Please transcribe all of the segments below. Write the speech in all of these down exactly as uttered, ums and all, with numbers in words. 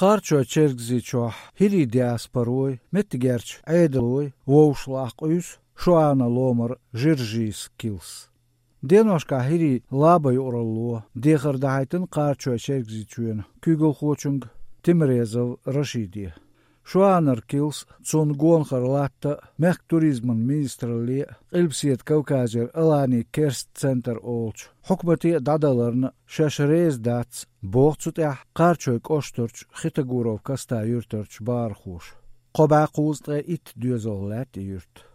Qarço çergziço hiri diasporoy, mettigerç eidaloy, vovšlaqujus, šoana lomar žiržīs kils. Dienoškā hiri labai orallo, diehardahaitin qarço çergziçuyn, kügelhoçung, timrezov rašīdie. Šoanar kils, cun gonhar latta, mek turizman ministrali, ilpsiet Kaukazir alani kerst center olč. Hukmati dadalarna šešreiz dats, bohcuteh qarçoy košturč, Khitagurov kastā jurturč bārhuš. Qobāqūztre it düözol lati jurt.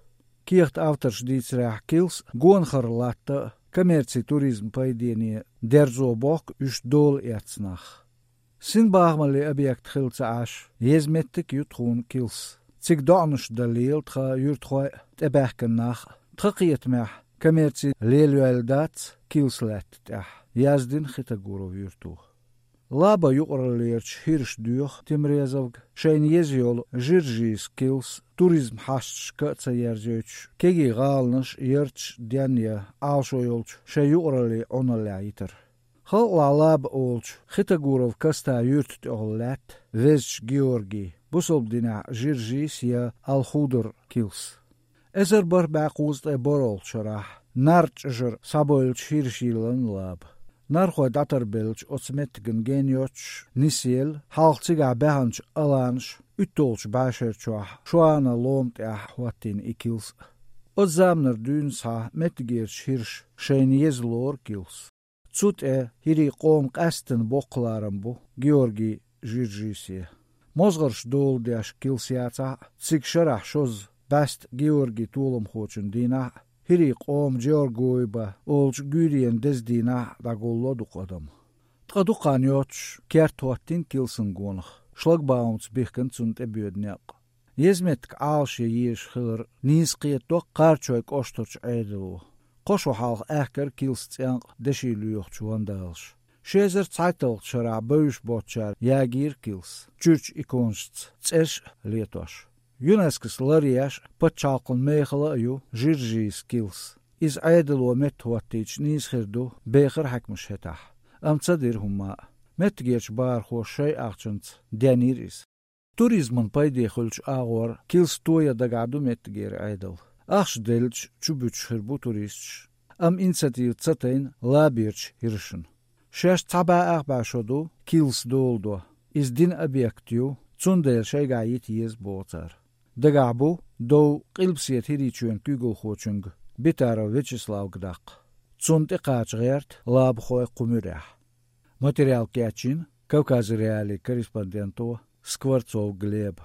Kieht avtarš dīcrēh kils, gonhar latta, komerci turizm paidienie, derzo bok üš dol etsnach. Sin bāgmali objekt khilca ash, jezmettik jutkhun kils. Cik dānuš dalil tcha jurtkhoi tebehken nach, tchaqiet meh, komerci leluel dats, kils let teh, jazdin Khitagurov jurtuh. Laba juqralierč hirš duh timrezavg, šein jezjol žiržīs kils, turizm hašč kaca jerzjöč, kegi galnaš jerč djanja aalšojolč, še juqrali onalaitar. Хал лаб олч, Khitagurov kastā jurt ollet, vezch Georgi, busobdina žiržīs ja alhudur kils. Ezer bar bāqūzt e borolčarah, narč žar saboilč hiršīlan lab. Narhoi datarbelč otsmetgen genioč, nisiel, halcigā behanč alanš, utolč bāšerčoah, šoana lomteah huatin ikils. Odzamnar dūnsha metgierč hirš, šein jezlor kils. Цут э хири qom qastin boqlaram bu, Georgi žiržīsie. Mozgarš doldiaš kilsiāca, cik šarah šoz bast Georgi tūlam hočun dīnā, hiri qom Georgoiba, olč gürien dezdīnā dagollodu qadam. Tqaduqan yoch, kertuattin kilsin gonach, šlagbaums bihken cunt ebiodniaq. Jezmetk aalšie jieš khilr, nīsqiet doq qarčoik oshtorch eidilu. Qoshu halq ehker kilstsianq deshiluyuqch vandalsh. Shezer tsaitalq shara böüş botchar jagir kils. Church ikonsts tsersh lietosh. Yunaskis lariash patchalqun meeghala aju žiržīs kils. Iz aidalo methuattīch nīshirdu beger hakmush hetah. Am tsadir humma. Metgierch baar hoshai aqchants djaniris. Turizman paidiexulch ağor kils toya dagadu metgier aidal. Ach delch çubuç hırbu turistç. Am inisiativ tsatein labirç hirşin. Şeş taba ağbaşodu kils doldu. İz din objektiu tsundel şeygayit yez botar. Dagabu do qilpsiet hiriçün kügül xoçung. Bitara Vyacheslav Gdak. Tsund iqaçgert lab xoy qumurah. Material kachin Kaukaz Reali korrespondento Skvortsov Gleb.